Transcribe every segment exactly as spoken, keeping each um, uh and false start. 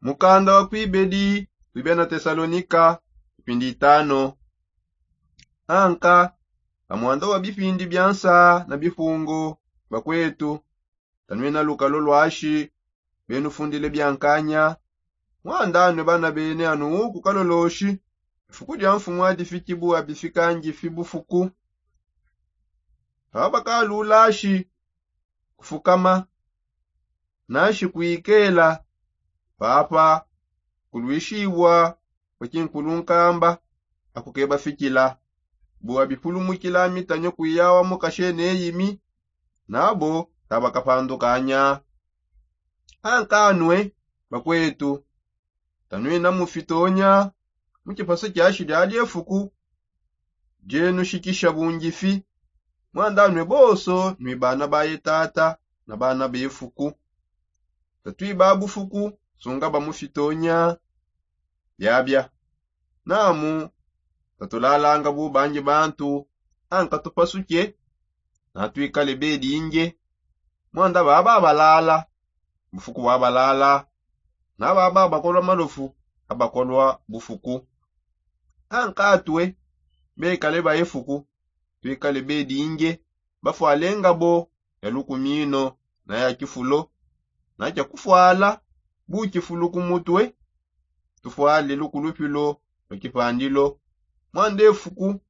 Mukanda wa kuibedi kuibia na tesalonika. Ipindi itano. Anka, pamwanda wa bipindi bia nsa na bifungo, bakwetu, tanwina lukalo lwashi benufundile bia nkanya. Mwanda anwe bana bene anu uku kaloloshi, ifuku dia mfumu adifiki bua bifikangifi bufuku. Pabakalulashi kufukama, nashi kuikela papa kulwishibua kua kinkulu nkamba, akukebafikila bua bipulumukila mitanyo kuiyawa mukashe neyimi, nabo tabakapandukanya. Ankanue bakwetu, tanwina mufitonya mu kipasu kiashi dia diefuku dienushikisha bungifi. Mwandanue bonso nui bana baye tata na bana befuku. Tatuiba bufuku sunga bamufitonya biabia. Namu tatulalanga bubangi bantu, anka tupasuke, natuikale bedinge. Mwanda baba balala bufuku bwa balala, na baba bakolwa malofu abakolwa bufuku. Ankatue bekale baefuku, tuikale bedinge, bafuale ngabo ya lukumino na ya kifulo, na kia kufuala bukifulu ku mutue, tufuale lukulupilo lua kipandilo. Mwandefuku,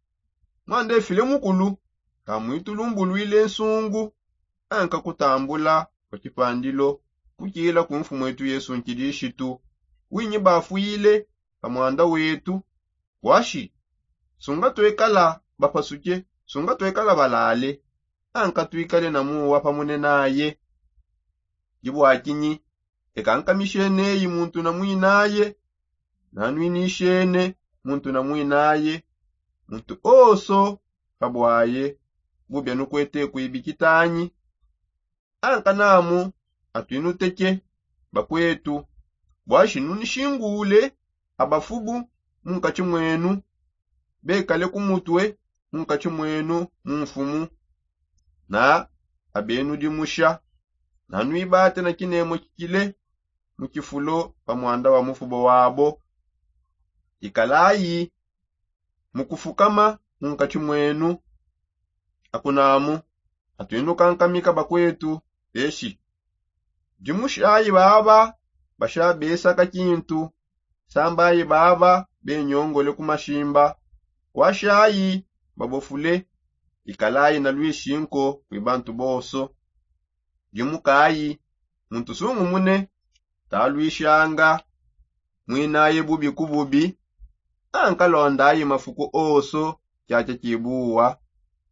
mwandefile mukulu, kamuitulumbuluile nsungu, anka kutambula kua kipandilo kukila ku mfumu etu yesu nkilishitu, winyi bafuile pa mwanda wetu. Washi sunga tuekala bapasuke, sunga tuekala balale, anka tuikale na muwa pamune naye. Dibua kinyi? Eka nkamishieneyi muntu na mwinaye, nanwinishene muntu na mwinaye, muntu onso pabuaye bubia nukuete kuibikitanyi. Ankanamu atuinuteke, bakwetu, buashi nunishingule abafubu munkatshi mwenu, bekale ku mutue munkatshi mwenu mu mfumu, na abenu dimusha, nanuibate na kinemo kikile mu kifulo pa mwanda wa mufubo wabo. Ikalayi mu kufukama munkatshi mwenu. Akunamu atuinukankamika bakwetu, peshi dimushayi baba bashabesaka kintu, sambayi baba benyongole ku mashimba, washayi babofule. Ikalayi na lwishinko kwi bantu bonso. Dimukayi muntu sungumune, talwishanga mwinaye bubi ku bubi, ankalondayi mafuku onso kiakia kibuwa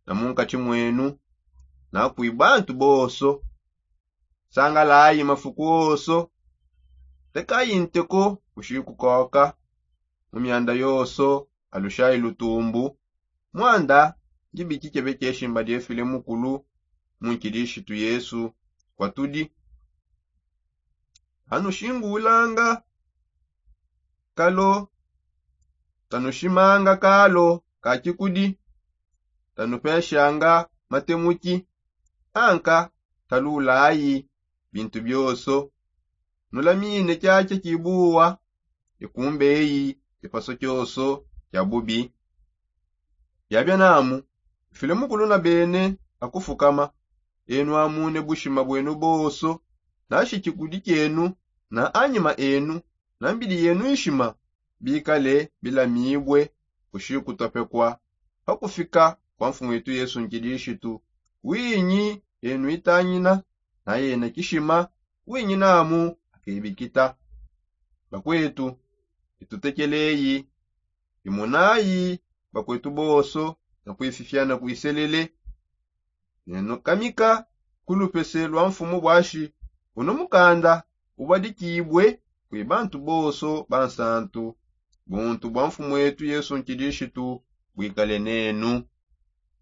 na munkatshi mwenu na kwi bantu bonso. Sangalayi mafuku onso, tekayi nteko kushikukoka mu mianda yonso, alushayi lutumbu. Mwanda ndibikikebekeshimba diefile mukulu mu nkilishitu yesu. Kuatudi tanushingulanga kalo, tanushimanga kalo ka kikudi, tanupeshanga matemuki, anka talulayi bintu bionso. Nulamine kiakia kibuwa, ikumbeyi kipaso kionso kia bubi. Biabia namu, mfile mukulu na bene akufukama, enu amune bushima bwenu bonso, nashi kikudi kienu na anyima enu na mbidi yenu ishima bikale bilamibue kushikutopekua pa kufika kua mfumu wetu yesu nkilishitu. Winyi enu itangina na yena kishima, winyi namu akebikita. Bakwetu, itutekeleyi, imunayi bakwetu bonso na kuififiana kuiselele. Nenukamika ku lupese lua mfumu buashi unu mukanda ubadikibue kwi bantu bonso bansantu. Buntu bua mfumu wetu yesu nkilishitu buikale nenu.